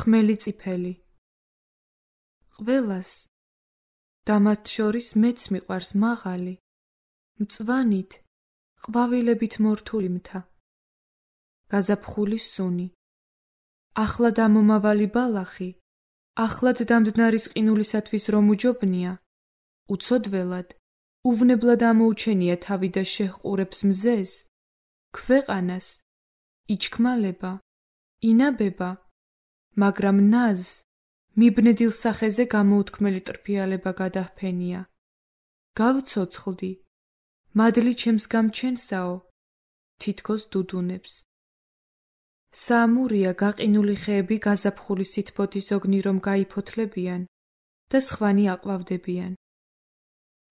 ხმელი წიფელი. ყველას და მათ შორის მეც მიყვარს მაღალი, მწვანით, ყვავილებით მორთული მთა. გაზაფხული სუნი. ახლად ამომავალი ბალახი, ახლად დამდნარის ყინულისათვის რომ უჯობნია, უცოდველად, უვნებლად ამოუჩენია თავი და შეჰყურებს მზეს, ქვეყანას, იჩქმალება, ინაბება, მაგრამ ნაზს, მიბნედილ სახეზე გამოუთქმელი ტრფიალება გადაჰფენია. გავცოცხლდი, მადლი ჩემს გამჩენსაო, თითქოს დუდუნებს. საამურია გაყინული ხეები გაზაფხული სითბოთის ოგნი რომ გაიფოთლებიან და სხვანი აყვავდებიან.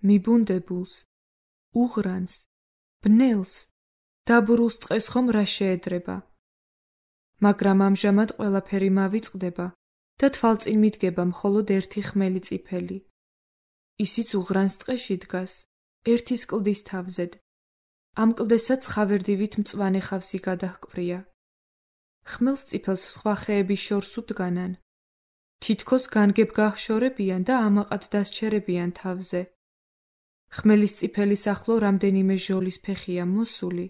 მიბუნდებულს, უღრანს, ბნელს, დაბურულს ტყეს ხომ რა შეედრება. მაგრამ ამჟამად ყველაფერი მავიწყდება და თვალწინ მიდგება მხოლოდ ერთი ხმელი წიფელი. ისიც უღრანს ტყეში დგას, ერთის კლდის თავზედ. ამ კლდესაც ხავერდივით მწვანე ხავსი გადაჰკვრია. ხმელს წიფელს სხვა ხეების შორს უდგანან. თითქოს განგებ გაჰშორებიან და ამაყად დასჩერებიან თავზე. ხმელის წიფელის ახლო რამდენიმე ჟოლის ფეხია მოსული,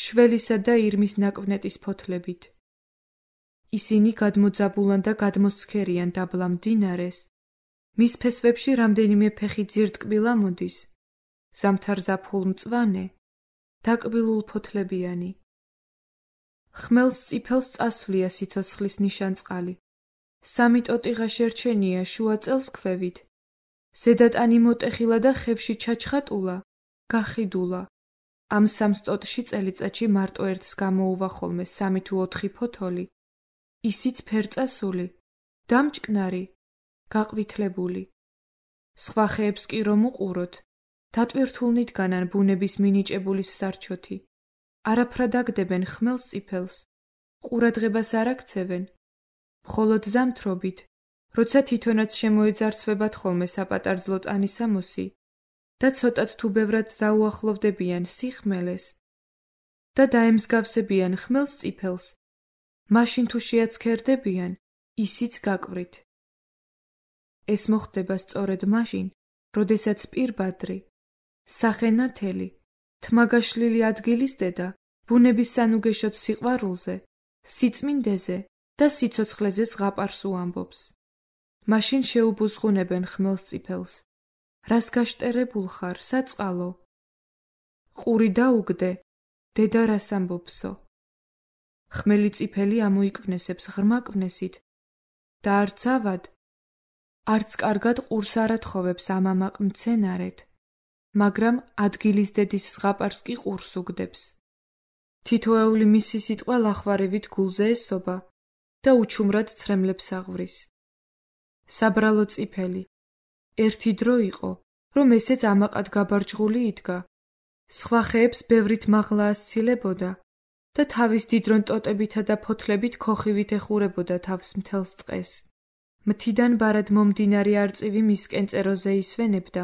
შველისა და ირმის ნაკვნეტის ფოთლებით. ისინი გადმოძაბულან და გადმოსცქერიან დაბლა მდინარეს. მის ფესვებში რამდენიმე ფეხი ძირტკბილა მოდის, ზამთარ ზაფხულ მწვანე, დაკბილულ ფოთლებიანი. ხმელს წიფელს წასვლია სიცოცხლის ნიშანწყალი. სამი ტოტიღა შერჩენია შუა წელს ქვევით. ზედატანი მოტეხილა და ხევში ჩაჩხატულა, გახიდულა. ამ სამს ტოტში წელიწადში მარტო ერთს გამოუვა ხოლმე 3 თუ 4 ფოთოლი. ისიც ფერწასული, დამჭკნარი, გაყვითლებული. სხვა ხეებს კი რომ უყუროთ, დატვირთულნით განან ბუნების მინიჭებულის სარჩოთი. არაფრად აგდებენ ხმელს წიფელს, ყურადღებას არ აქცევენ. მხოლოდ ზამთრობით, როცა თვითონაც შემოეძარცვებათ ხოლმე საპატარძლო ტანისამოსი და ცოტად თუ ბევრად დაუახლოვდებიან სიხმელეს და დაემსგავსებიან ხმელს წიფელს, მაშინ თუ შეაცქერდებიან, ისიც გაკვრით. ეს მოხდება სწორედ მაშინ, როდესაც პირბადრი, სახენათელი, თმაგაშლილი ადგილის დედა, ბუნების სანუგეშოდ სიყვარულზე, სიწმინდეზე და სიცოცხლეზე ზღაპარს უამბობს. მაშინ შეუბუზღუნებენ ხმელს წიფელს. რას გაშტერებულ ხარ, საწყალო? ყური დაუგდე, დედა რას ამბობსო? ხმელი წიფელი ამოიკვნესებს ღრმა კვნესით და არც ავად, არც კარგად ყურს არ ათხოვებს ამამაყ მცენარეთ, მაგრამ ადგილის დედის ზღაპარს კი ყურს უგდებს. თითოეული მისი სიტყვა ლახვარევით გულზე ესობა და უჩუმრად ცრემლებს აღვრის. საბრალო წიფელი, ერთი დრო იყო, რომ ესეც ამაყად გაბარჯღული იდგა. სხვა ხეებს ბევრით მაღლა ასცილებოდა და თავის დიდრონ ტოტებითა და ფოთლებით ქოხივით ეხურებოდა თავს მთელს ტყეს. მთიდან ბარად მომდინარე არწივი მისკენ წეროზე ისვენებდა,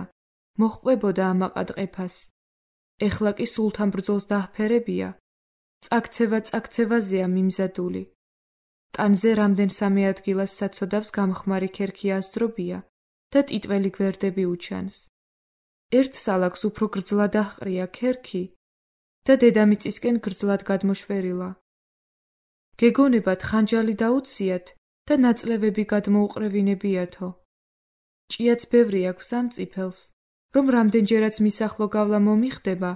მოჰყვებოდა ამაყად ყეფას. ეხლა კი სულთან ბრძოლს დაჰფერებია, წაქცევა-წაქცევაზეა მიმზადული. ტანზე რამდენ სამი ადგილას საცოდავს გამხმარი ქერქი აზდრობია და ტიტველი გვერდები უჩანს. ერთ სალაკს უფრო გრძლად აჰყრია ქერქი და დედამიწისკენ გრძლად გადმოშვერილა. გეგონებათ ხანჯალი დაუციათ და ნაწლევები გადმოუყრევინებიათო. ჭიაც ბევრი აქვს ამ წიფელს, რომ რამდენჯერაც მის ახლო გავლა მომიხდება,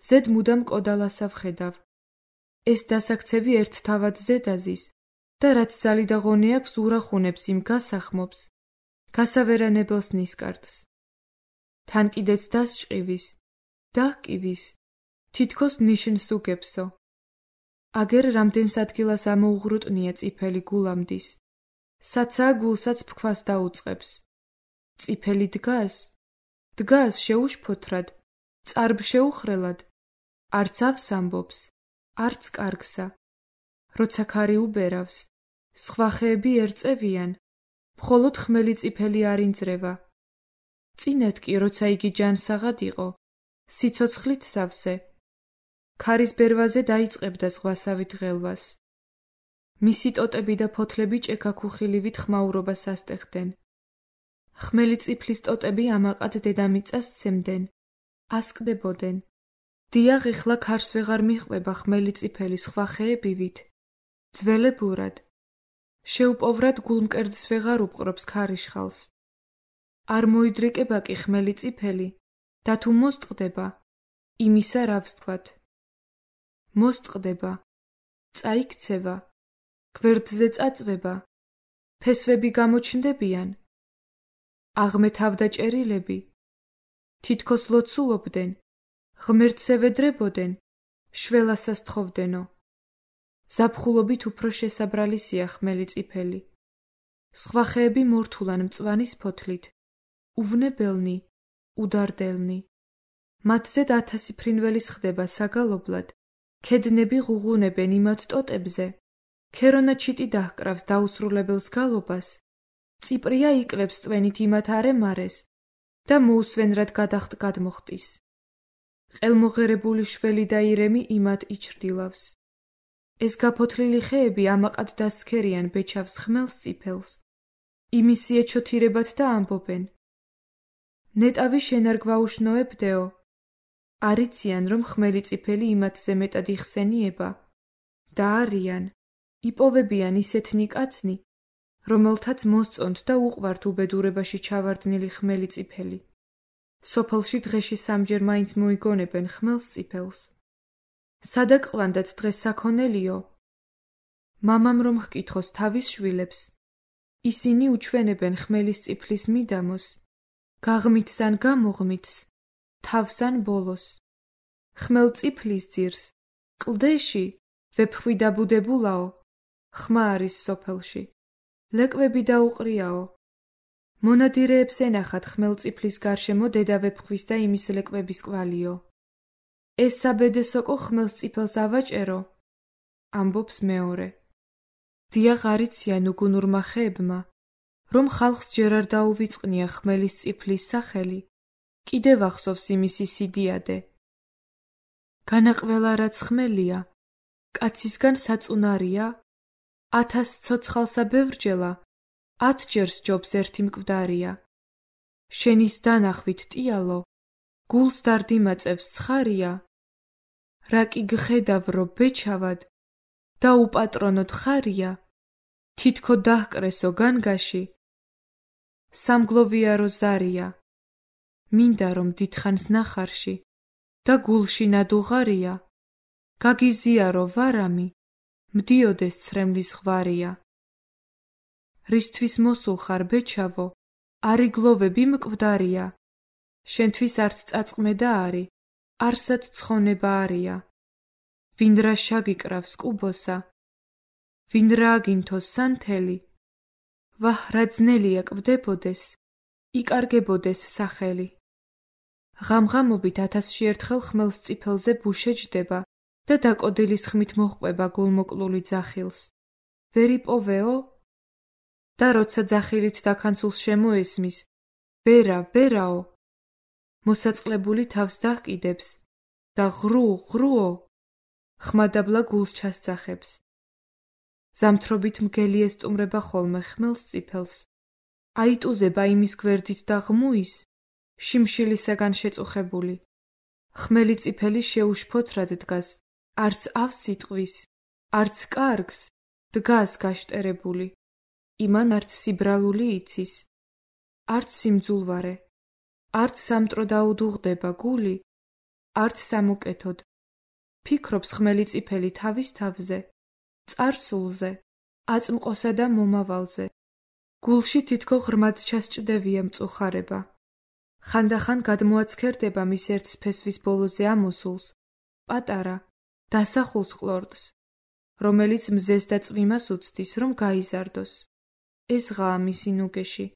ზედ მუდამ კოდალასა ვხედავ. ეს დასაქცევი ერთ თავად ზედაზის და რაც ძალი და ღონე აქვს ურახუნებს იმ გასახმობს, გასავერანებელს ნისკარტს. თან კიდეც დასჭყივის, დაჰკივის, თითქოს ნიშნს უგებსო. აგერ რამდენს ადგილას ამოუღრუტნია წიფელი გულამდის. საცა გულსაც ფქვას დაუწყებს. წიფელი დგას შეუშფოთრად, წარბ შეუხრელად, არც ავს ამბობს, არც კარგსა. როცა ქარი უბერავს, სხვა ხეები ერწევიან, მხოლოდ ხმელი წიფელი არ ინძრევა. წინათ კი, როცა იგი ჯანსაღად იყო, სიცოცხლით სავსე, ქარის ბერვაზე დაიწყებდა ზღვასავით ღელვას. მისი ტოტები და ფოთლები ჭექაქუხილივით ხმაურობას ასტეხდნენ. ხმელი წიფლის ტოტები ამაყად დედამიწას სცემდნენ, ასკდებოდნენ. დიახ, ეხლა ქარს ვეღარ მიჰყვება ხმელი წიფელი სხვა ხეებივით. ძველებურად. შეუპოვრად გულმკერდს ვეღარ უპყრობს ქარიშხალს. არ მოიდრეკება კი ხმელი წიფელი და თუ მოსტყდება, იმისა რა ვსთქვათ. მოსტყდება, წაიქცევა, გვერდზე წაწვება, ფესვები გამოჩნდებიან. აღმეთავდაჭერილები თითქოს ლოცულობდნენ, ღმერთზე ვედრებოდნენ, შველასას თხოვდენო. ზაფხულობით უფრო შესაბრალისია ხმელი წიფელი. სხვა ხეები მორთულან მწვანის ფოთლით, უვნებელნი, უდარდელნი. მათზე 1000 ფრინველის ხდება საგალობლად, ქედნები ღუღუნებენ იმათ ტოტებზე, ქერონა ჩიტი დაჰკრავს დაუსრულებელს გალობას, წიპრია იკლებს ტვენით იმათ არემარეს და მოუსვენ რად გადახტ გადმოხტის. ყელმოღერებული შველი და ირემი იმათ იჩრდილავს. ეს გაფოთლილი ხეები ამაყად დასცქერიან ბეჩავს ხმელს წიფელს. იმისი ეჩოთირებათ და ამბობენ. ნეტავი შენ არ გვაუშნოებდეო. არიციან, რომ ხმელი წიფელი იმათზე მეტად იხსენიება და არიან, იპოვებიან ისეთნი კაცნი, რომელთაც მოსწონთ და უყვართ უბედურებაში ჩავარდნილი ხმელი წიფელი. სოფელში დღეში სამჯერ მაინც მოიგონებენ ხმელს წიფელს. სადაგყვანდათ დღეს საქონელიო? მამამ რომ ჰკითხოს თავის შვილებს, ისინი უჩვენებენ ხმელის წიფლის მიდამოს, გაღმითს ან გამოღმითს, თავს ან ბოლოს. ხმელ წიფლის ძირს, კლდეში, ვეფხვი დაბუდებულაო, ხმა არის სოფელში. ლეკვები დაუყრიაო. მონადირეებს ენახათ ხმელ წიფლის გარშემო დედა ვეფხვის და იმის ლეკვების კვალიო. ეს საბედეს სოკო ხმელს წიფელს ავაჭერო, ამბობს მეორე. დიახ, არიციან უგუნურმა ხეებმა, რომ ხალხს ჯერ არ დაუვიწყნია ხმელის წიფლის სახელი, კიდევ ახსოვს იმისი სიდიადე. განაყველა რაც ხმელია, კაცისგან საწუნარია, 1000 ცოცხალსა ბევრჯელა, 10 ჯერ სჯობს ერთი მკვდარია. შენის დანახვით ტიალო, გულს დარდიმაწევს ცხარია. რა კი გხედავ რო ბეჩავად და უპატრონოდ ხარია, თითქო დაჰკრესო განგაში, სამგლოვია რო ზარია. მინდა რომ დიდხანს ნახარში და გულში ნადუღარია, გაგიზიარო ვარამი, მდიოდეს ცრემლის ღვარია. რისთვის მოსულ ხარ ბეჩავო, არიგლოვები მკვდარია, შენთვის არც წაწყმე და არი, არსად ცხონება არია. ვინ რა შაგიკრავს კუბოსა, ვინ რა აგინთოს სანთელი, ვაჰ რა ძნელია კვდებოდეს, იკარგებოდეს სახელი. ღამღამობით 1000-ში ერთხელ ხმელს წიფელზე ბუშე ჯდება და დაკოდილის ხმით მოჰყვება გულმოკლული ძახილს. ვერ იპოვეო? და როცა ძახილით დაქანცულს შემოესმის, ბერა, ბერაო, მოსაწყლებული თავს დაჰკიდებს და ღრუ, ღრუო, ხმადაბლა გულს ჩასძახებს. ზამთრობით მგელი ესტუმრება ხოლმე ხმელს წიფელს, აიტუზება იმის გვერდით და ღმუის, შიმშილისაგან შეწუხებული. ხმელი წიფელი შეუშფოთრად დგას, არც ავს იტყვის, არც კარგს, დგას გაშტერებული. იმან არც სიბრალული იცის, არც სიმძულვარე, არც სამტრო დაუდუღდება გული, არც სამუკეთოდ. ფიქრობს ხმელი წიფელი თავის თავზე, წარსულზე, აწმყოსა და მომავალზე. გულში თითქო ღრმად ჩასჭდევია მწუხარება. ხანდახან გადმოაცქერდება მის ერთს ფესვის ბოლოზე ამოსულს, პატარა, დასახულს ყლორტს, რომელიც მზეს და წვიმას უცდის, რომ გაიზარდოს. ეს ღაა მისი ნუგეში.